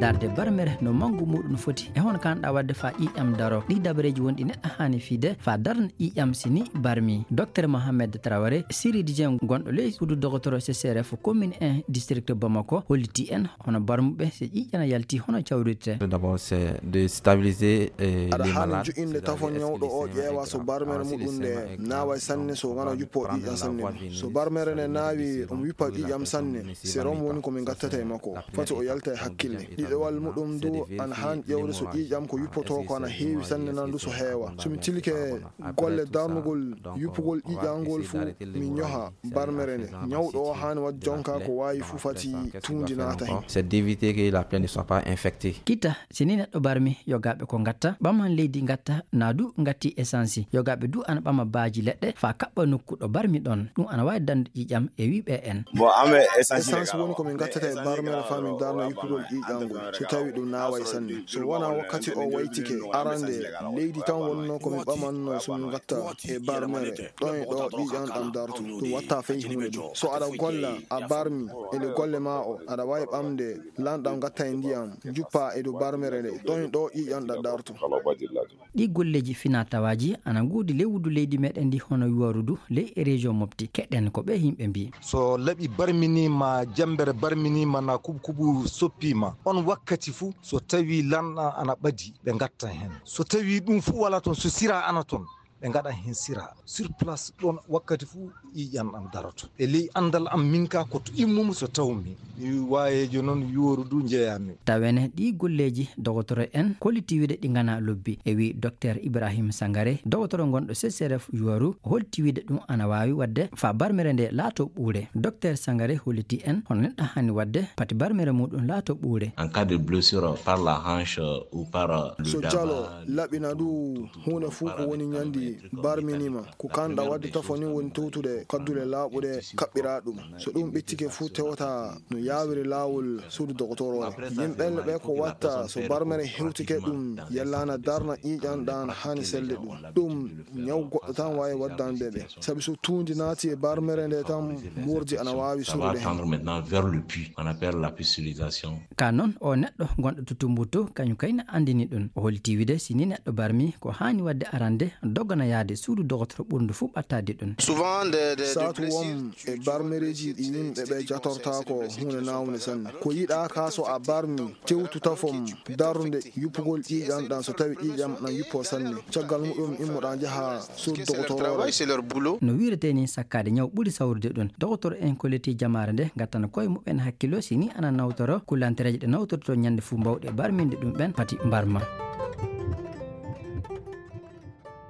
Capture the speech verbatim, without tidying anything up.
Darde barmere no manngu muuɗum foti e hono kaanɗaa waɗde faa ƴiiƴam daro. Ɗii dabareeji woni ɗi neɗɗo haani fiyde faa darna ƴiiƴam si ni barmi. Docteur Mohamed Traoré, chirurgien gonɗo ley suudu dogotoro C C R F commune un district Bamako, holliti en hono barmuɓe so ƴiiƴam yalti hono cawrirte. Tout d'abord, c'est de stabiliser, euh, aɗa les haani malades, joƴƴinde tafo ñawɗo o, ƴeewa so barmere muɗum nde naawa e sanne, so wona yuppo ƴiiƴam sanne. So barmere nde naawi, omo yuppa ƴiiƴam sanne, sérum woni ko min ngattata e makko. Foti o yalta e hakkille. Ɗiɗawal muɗum du, ana haan ƴeewde so ƴiiƴam ko yuppotoo ko ana heewi sanne, nan du so heewa. So mi tilike golle darnugol yuppugol ƴiiƴam ngol fuu, mi ñoha barmere nde. Ñawɗo o haani waɗde jonka ko waawi fuu fati tuundi naata heen. C'est d'éviter que la plaie ne soit pas infectée. Kita, si ni neɗɗo barmi, yogaaɓe ko ngatta, ɓaman leydi ngatta, naa du ngatti essence. Yogaaɓe du ana ɓama baaji leɗɗe faa kaɓɓa nokku ɗo barmi ɗon. Ɗum ana waawi dande ƴiiƴam e wiɓe en. Bon, ame essence woni ko min ngattata e barmere faa min darna yuppugol ƴiiƴam ngol, so tawi ɗum naaway sanne. So wonaa wakkati o waytike, arande leydi tan wonnoo ko min ɓamanno so min ngatta e barmere. Ɗon e ɗo ƴiiƴam ɗam dartu. Ɗum watta fey huunde du. So aɗa golla, a barmi, e nde golle maa o, aɗa waawi ɓamde lanɗam ngatta e ndiyam, juppa e dow barmere nde. Ɗon e ɗo ƴiiƴam ɗam dartu. Ɗii golleeji finaa-tawaaji ana ngoodi ley wuddu leydi meɗen ndi hono Yuwaru du ley e région Mopti. Keɗen ko ɓee yimɓe mbii. So laɓi barminiima, jambere barminiima, na kubu kubu soppiima, on wakkati fuu, so tawi lanɗam ana ɓadi, ɓe ngatta heen. So tawi ɗum fuu walaa toon, so sira ana toon, ɓe ngaɗa heen sira. Sur place, ɗoon wakkati fuu, ƴiiƴam ɗam daroto. E ley anndal am min ka, ko to immumi so tawmi. Mi waayeejo noon, Yuwaru du njeyaami. Tawene ɗii golleeji dogotoro en kolliti wiide ɗi nganaa lobbi, e wii Docteur Ibrahim Sangare, dogotoro gonɗo C C R F Yuwaru, holti wiide ɗum ana waawi waɗde faa barmere nde laato ɓuure. Docteur Sangare holliti en hono neɗɗo haani waɗde pati barmere muɗum laato ɓuure. En cas de blessure par la hanche ou par le jalo, laɓina du huunde fuu ko woni ñandi barminiima. Ko kaanɗaa waɗde tafo ni woni towtude kaddule laaɓuɗe kaɓɓiraa ɗum. So ɗum ɓittike fuu, tewata no yaawiri laawol suudu dogotoro o. Yimɓe ɓe ko watta so barmere hewtike ɗum yellaana darna ƴiiƴam ɗam haani selde ɗum. Ɗum ñaw goɗɗo tan waawi waddande ɓe. Sabi so tuundi naati e barmere nde tan, moordi ana waawi surude heen. Maintenant vers le puits, on appelle la pustulation. Ka noon, o neɗɗo gonɗo to Tumbuktu, kañum kay na anndini ɗum. O holliti wiide, si ni neɗɗo barmi, ko haani waɗde arande, dogana yaade suudu dogotoro ɓurndu fuu ɓattaade ɗum. Saatu won e barmereeji ɗi yimɓe ɓe jatortaako huunde naawnde sanne. Ko yiɗaa ka, so a barmi, tewtu tafom darnde yuppugol ƴiiƴam ɗam, so tawi ƴiiƴam na yuppo sanne. Caggal muɗum immoɗaa njaha suudu dogotoro. No wiiretee ni, sakkaade ñaw ɓuri sawrude ɗum. Dogotoro en kolliti jamaare nde ngattana koye muɓɓen hakkillo si ni ana nawtoro kullantereeje ɗe nawtorto ñande fuu mbawɗe barminde ɗum ɓen pati mbarma.